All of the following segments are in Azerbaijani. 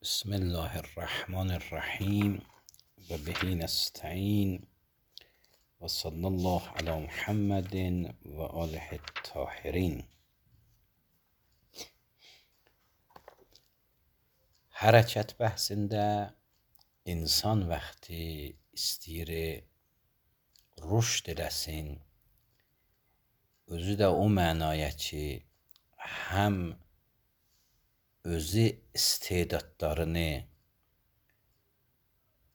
بسم الله الرحمن الرحیم و به نستعین و صلی الله علی محمد و آله الطاهرین. Hərəkət bəhsində insan vaxtı istəyir rüşd eləsin, özü də o mənaya ki, həm özü istedadlarını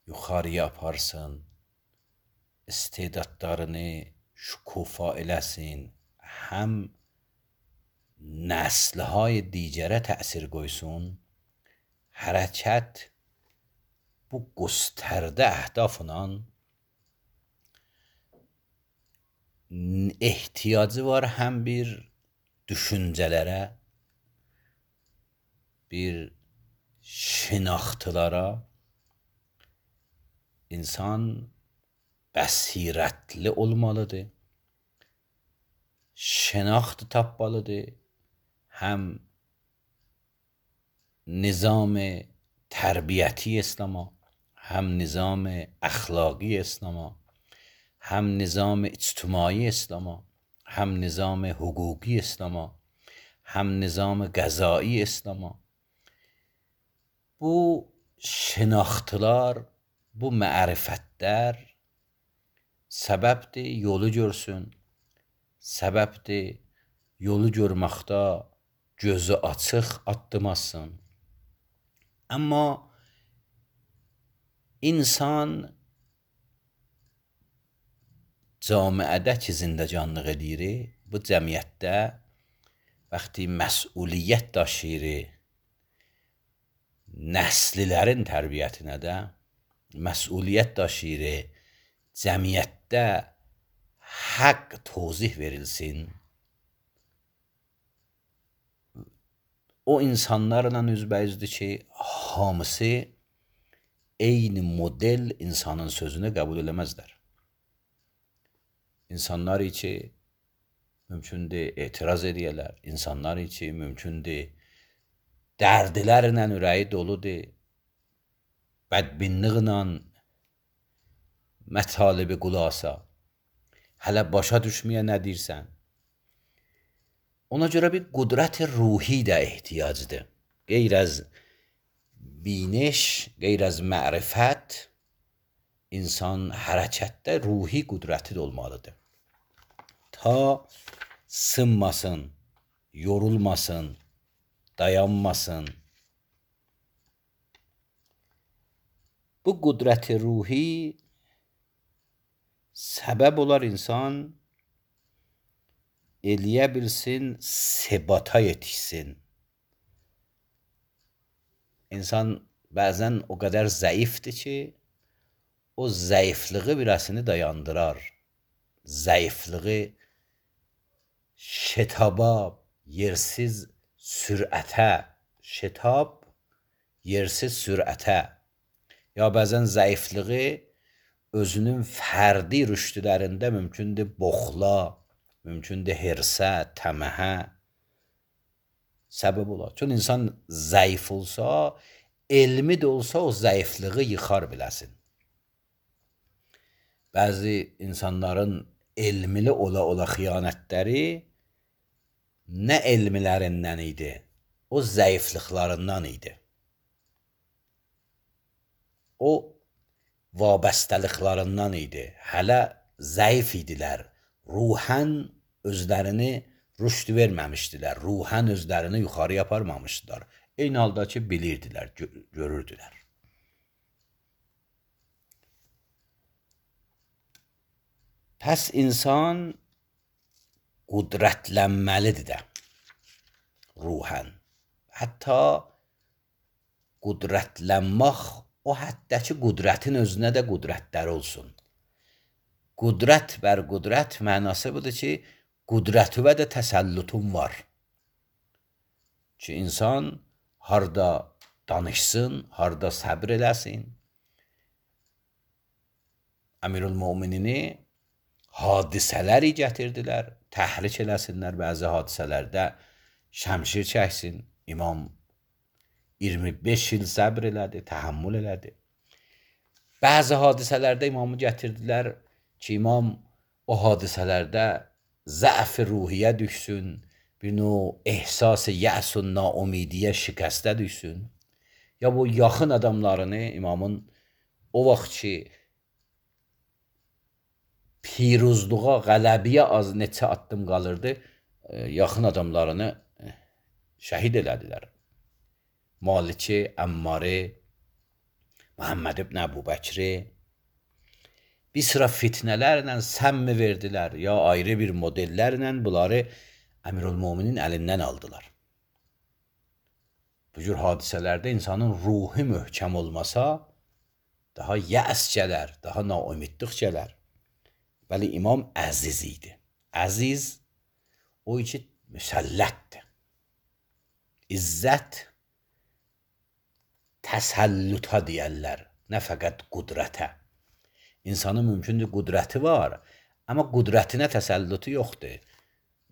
yuxarıya aparsın, istedadlarını şükufa eləsin, həm nəslهای digərə təsir qoysun. Hərəkət bu göstərdə əhdafla ehtiyacı var həm bir düşüncələrə, bir şinaxtılara. İnsan bəsirətli olmalıdır, şinaxt tapmalıdır, həm nizam tərbiyyəti İslam'a, həm nizam əxlaqi İslam'a, həm nizam ictimai İslam'a, həm nizam hüquqi İslam'a, həm nizam qəzai İslam'a. Bu şinaxtılar, bu mərifətlər səbəbdir yolu görsün, səbəbdir yolu görməkdə gözü açıq addımasın. Amma insan camiədə ki zindəcanlıq edir, bu cəmiyyətdə vaxtı məsuliyyət daşıyır, nəslilərin tərbiyyətinə də məsuliyyət daşıyır, cəmiyyətdə haqq tozih verilsin. O insanlarla üzbəyüzdür ki, hamısı eyni model insanın sözünü qəbul eləməzlər. İnsanlar ki, mümkündür etiraz edəyələr, insanlar ki, mümkündür dərdilərlə ürəyi doludur, bədbinliqlə mətalibi qulasa, hələ başa düşməyə nə deyirsən. Ona görə bir qudrət ruhi də ehtiyacdır. Qeyr az biniş, qeyr az mərifət, insan hərəkətdə ruhi qudrəti də olmalıdır. Ta sınmasın, yorulmasın, dayanmasın. Bu qudrət ruhi səbəb olar insan eləyə bilsin, sebata yetişsin. İnsan bəzən o qədər zəifdir ki, o zəifliği birəsini dayandırar. Zəifliği şetaba, yersiz sürətə, şetab, yersiz sürətə, ya bəzən zəifliği özünün fərdi rüşdlərində mümkündür boxla, mümkündür hirsə, təməhə səbəb olar. Çünki insan zəif olsa, elmi də olsa o zəifliği yıxar biləsin. Bəzi insanların elmili ola xiyanətləri nə elmilərindən idi, o zəifliklərindən idi. O vabəstəliklərindən idi. Hələ zəif idilər. Ruhən özlərini rüşd verməmişdilər. Ruhən özlərini yuxarıya aparmamışdılar. Eyni halda ki, bilirdilər, görürdülər. Pəs insan qudrətlənməlidir də ruhən. Hətta qudrətlənmək o həddə ki, qudrətin özünə də qudrətlər olsun. Qudrət bər qudrət mənası budur ki, qudrətüvə də təsəllütun var. Ki, insan harda danışsın, harda səbr eləsin. Əmirül-Möminini hadisələri gətirdilər, təhrik eləsinlər bəzi hadisələrdə, şəmşir çəksin. İmam 25 il səbr elədi, təhəmmül elədi. Bəzi hadisələrdə imamı gətirdilər ki, imam o hadisələrdə zəf-i ruhiyyə düşsün, bir növ ehsas-ı yəs-ü naumidiyyə şikəstə düşsün. Ya bu yaxın adamlarını imamın o vaxt ki piruzluğa, qələbiyə az neçə addım qalırdı, yaxın adamlarını şəhid elədilər. Maliki, Əmmarı, Muhammed ibn Əbu Bəkri bir sıra fitnələrlə səmmi verdilər, ya ayrı bir modellərlə bunları Əmirülmüminin əlindən aldılar. Bu cür hadisələrdə insanın ruhu möhkəm olmasa, daha yəs gələr, daha naumidlik gələr. Bəli, imam əziz idi. Əziz, o ki müsəllətdir. İzzət, təsəlluta deyərlər, nə fəqət qudrətə. İnsanın mümkündür qudrəti var, amma qudrətinə təsəllutu yoxdur.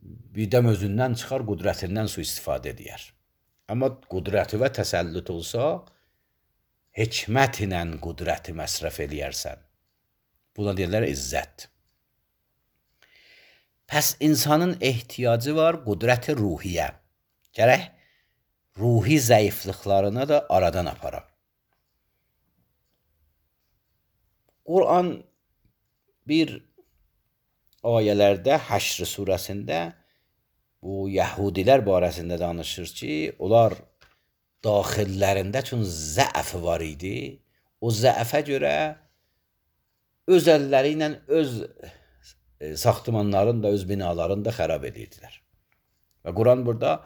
Birdən özündən çıxar, qudrətindən sui-istifadə edər. Amma qudrəti və təsəllut olsa, hikmət ilə qudrəti məsrəf eləyərsən. Buna deyirlər izzət. Pəs insanın ehtiyacı var qudrət-i ruhiyyə. Gərək ruhi zəifliklarına da aradan aparar. Quran bir ayələrdə Həşr surəsində bu Yəhudilər barəsində danışır ki, onlar daxillərində çün zəf var idi. O zəfə görə öz əlləri ilə öz saxtımanların da, öz binalarını da xərab edirdilər. Və Quran burada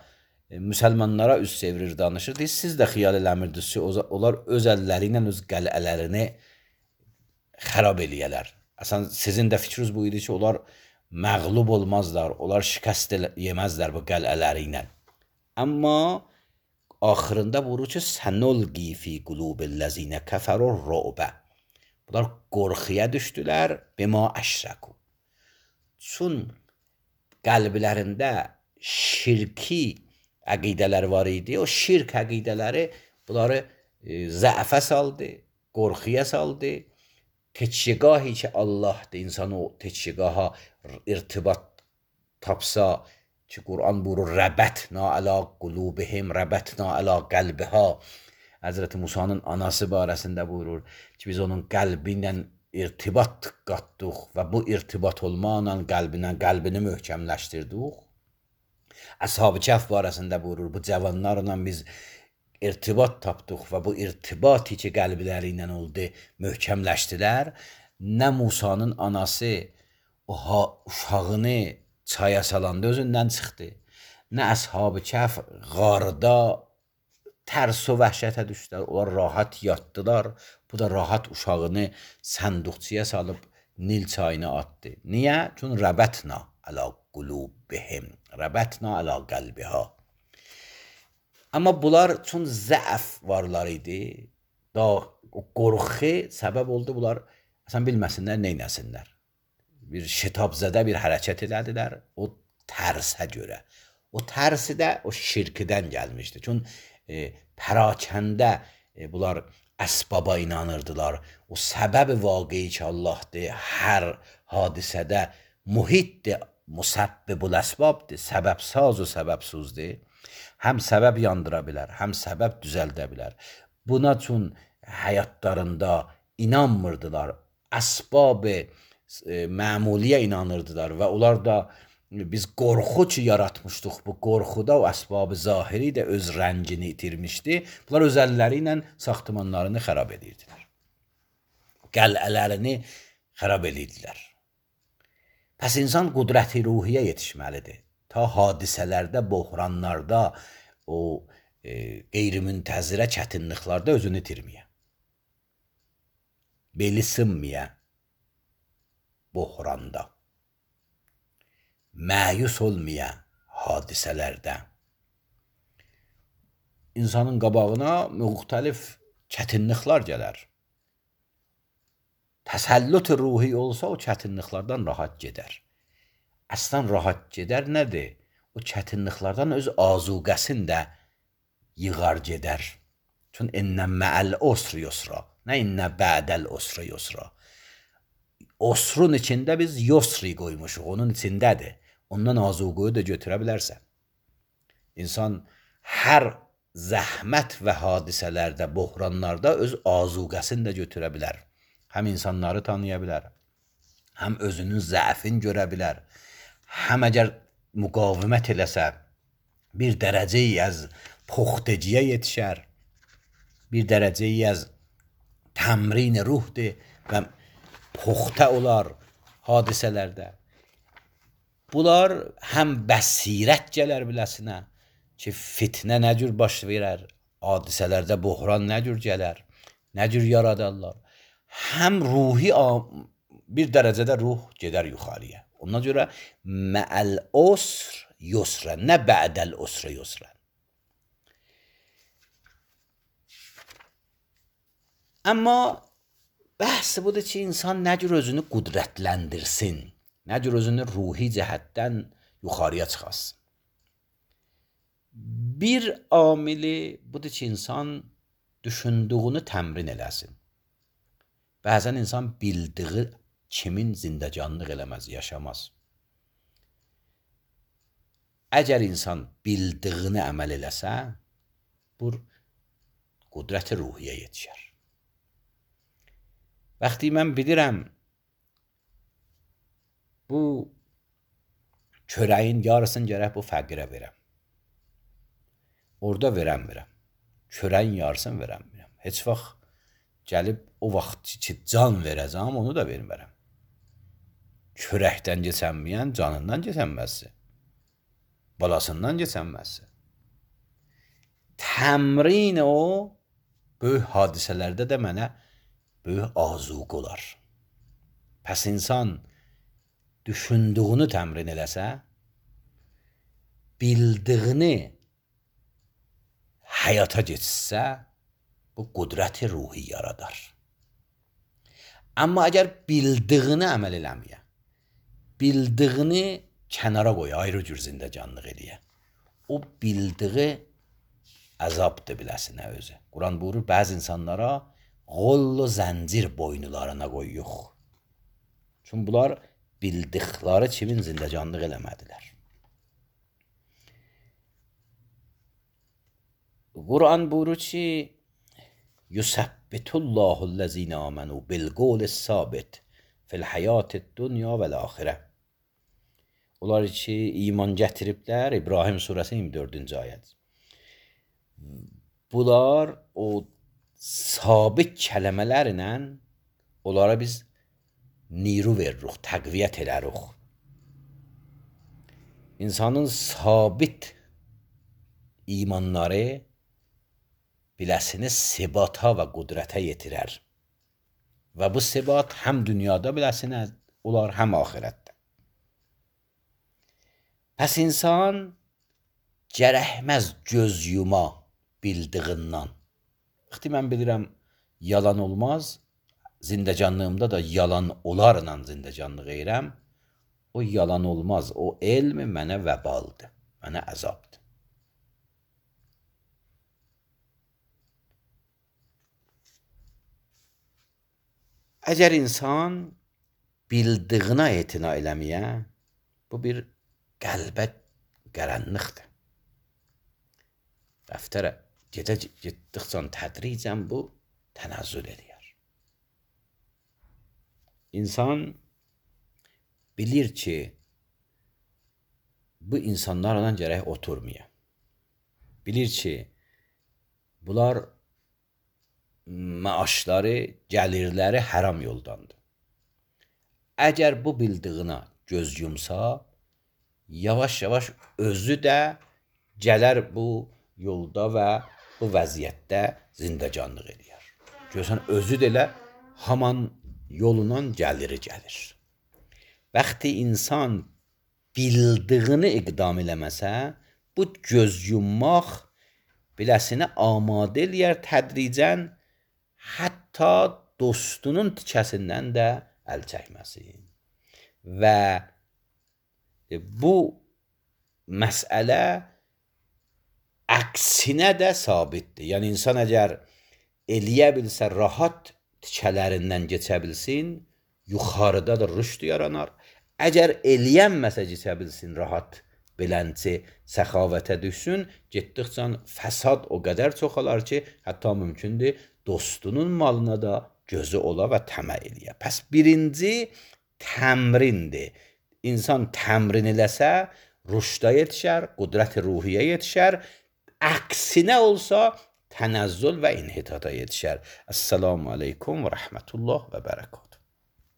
müsəlmanlara üz çevirir, danışır. Siz də xiyal eləmirdiniz ki, onlar öz əlləri ilə öz qələlərini xərab eləyələr. Əsən sizin də fikriniz bu idi ki, onlar məğlub olmazlar, onlar şikəst yeməzlər bu qələləri ilə. Amma axırında buyurur ki, sənulqi fi qulubillazinə kəfərur ru'bə. Bunlar qorxuya düşdülər, bima əşrəku. Çün qəlblərində şirki əqidələr var idi. O şirk əqidələri bunları zəfə saldı, qorxuya saldı. Teçhigahı ki Allah'dır, insan o teçhigaha irtibat tapsa ki Kur'an buyurur rəbətna əla qulubihim, rəbətna əla qəlbiha. Həzrəti Musa'nın anası barəsində buyurur ki biz onun qəlbi ilə irtibat qatdıq və bu irtibat olmaqla qəlbini möhkəmləşdirdik. Əshab-ı Kəhf barəsində buyurur bu cavanlarla biz irtibat tapdıq və bu irtibati ki qəlbləri ilə oldu möhkəmləşdilər. Nə Musanın anası o uşağını çaya salanda özündən çıxdı, nə Əshab-ı Kəhf qarda tərs və vəhşətə düşdülər. Onlar rahat yatdılar. Bu da rahat uşağını sənduqçuya salıb Nil çayına atdı. Niyə? Çünki rəbətna əla qulubihim, rəbətna əla qəlbiha. Amma bunlar üçün zəf varlar idi. O qorxu səbəb oldu bunlar əsən bilməsinlər, neynəsinlər. Bir şitabzədə bir hərəkət elədilər o tərsə görə. O tərsi də o şirkdən gəlmişdi. Çünki pərakəndə bunlar əsbaba inanırdılar. O səbəb-i vaqei ki Allah'dır, hər hadisədə muhitdir, musabbibul əsbabdır, səbəbsaz o səbəbsuzdur. Həm səbəb yandıra bilər, həm səbəb düzəldə bilər. Buna üçün həyatlarında inanmırdılar. Əsbab-ı məmuliyə inanırdılar və onlar da biz qorxu ki yaratmışdıq. Bu qorxuda o əsbab-ı zahiri də öz rəngini itirmişdi. Bunlar öz əlləri ilə saxtımanlarını xərab edirdilər. Qələlərini xərab edirdilər. Pəs insan qudrət-i ruhiyyə yetişməlidir. Ta hadisələrdə, bohranlarda, o qeyri-müntəzirə çətinliklarda özünü itirməyə. Beli sınmaya bohranda. Məyus olmaya hadisələrdə. İnsanın qabağına müxtəlif çətinliklər gələr. Təsəllut ruhi olsa o çətinliklərdən rahat gedər. Əslən rahat gedər nədir? O çətinliklərdən öz azuqəsini də yığar gedər. Çün ennə mə'əl usr yusra. Nə innə ba'dəl usr yusra. Osrun içində biz yusri qoymuşuq. Onun içindədir. Ondan azuqoyu da götürə bilərsən. İnsan hər zəhmət və hadisələrdə, buhranlarda öz azuqəsini də götürə bilər. Həm insanları tanıya bilər, həm özünün zəfini görə bilər, həm əgər müqavimət eləsə, bir dərəcəyi az puxteciyə yetişər, bir dərəcəyi az təmrin ruhdur və puxtə olar hadisələrdə. Bunlar həm bəsirət gələr biləsinə ki, fitnə nə cür baş verər, hadisələrdə buhran nə cür gələr, nə cür yaradarlar. Həm ruhi bir dərəcədə ruh gedər yuxarıya. Ona görə mə'əl usr yusra, nə ba'dəl usr yusra. Amma bəhs budur ki, insan nə cür özünü qudrətləndirsin, nə cür özünü ruhi cəhətdən yuxarıya çıxasın. Bir amili budur ki, insan düşündüyünü təmrin eləsin. Bəzən insan bildiyi kimin zindəcanlıq eləməz, yaşamaz. Əgər insan bildiyini əməl eləsə, bu qudrət-i ruhiyyə yetişər. Vaxtı mən bilirəm, bu çörəyin yarısını gərək bu fəqirə verəm. Orada verəm. Çörəyin yarısını verəm. Heç vaxt gəlib o vaxt ki, can verəcəm, onu da vermərəm. Çörəkdən keçənməyən canından keçənməzsi. Balasından keçənməzsi. Təmrin o, böyük hadisələrdə də mənə böyük azuq olar. Pəs insan düşündüyünü təmrin eləsə, bildiyini həyata geçsə, bu qudrət-i ruhi yaradar. Amma əgər bildiyini əməl eləməyə, bildiyini kənara qoya, ayrı cür zindəcanlıq eləyə, o bildiyi əzabdır biləsinə özü. Quran buyurur, bəzi insanlara qollu zəncir boynularına qoyuq. Çünki bunlar bildikləri kimin zindəcanlıq eləmədilər. Quran buyurur ki, Yusabbitullahul-lezine amenu bil-qawlis-sabit fil-hayatid-dunya vel-axirə. Onlar ki, iman gətiriblər, İbrahim surəsi 24-cü ayət. Bunlar o sabit kələmələrlə onlara biz niru veririk, təqviyyət elərik. İnsanın sabit imanları biləsini sebata və qudrətə yetirər. Və bu sebat həm dünyada biləsini olar, həm axirətdə. Pəs insan gərəkməz göz yuma bildiğindən. Vaxtı mən bilirəm, yalan olmaz, zindəcanlığımda da yalan olarla zindəcanlıq edirəm. O yalan olmaz, o elm mənə vəbaldır, mənə əzabdır. Əgər insan bildiyinə etina eləməyə, bu bir qəlbə qaranlıqdır. Dəftərə getdikcə tədricən bu tənəzzül edir. İnsan bilir ki, bu insanlarla gərək oturmaya. Bilir ki, bunlar maaşları, gəlirləri haram yoldandır. Əgər bu bildiyinə göz yumsa, yavaş-yavaş özü də gələr bu yolda və bu vəziyyətdə zindəcanlıq edir. Görsən, özü də elə haman yolundan gəliri gəlir. Vaxtı insan bildiyini iqdam eləməsə, bu göz yummaq biləsini amadə eləyər tədricən, hətta dostunun tikəsindən də əl çəkməsin. Və bu məsələ əksinə də sabitdir. Yəni insan əgər eləyə bilsə rahat tikələrindən keçə bilsin, yuxarıda da rüşd yaranar. Əgər eləyənməsə keçə bilsin rahat beləncə səxavətə düşsün, getdikcə fəsad o qədər çoxalar ki, hətta mümkündür dostunun malına da gözü ola və təmə eləyə. Pəs birinci təmrindir. İnsan təmrin eləsə, rüşdə yetişər, qudrət-i ruhiyyə yetişər. Əksinə olsa, tənəzzül və inhitata yetişər. Əssalamu aleykum və rəhmətullah və bərəkət.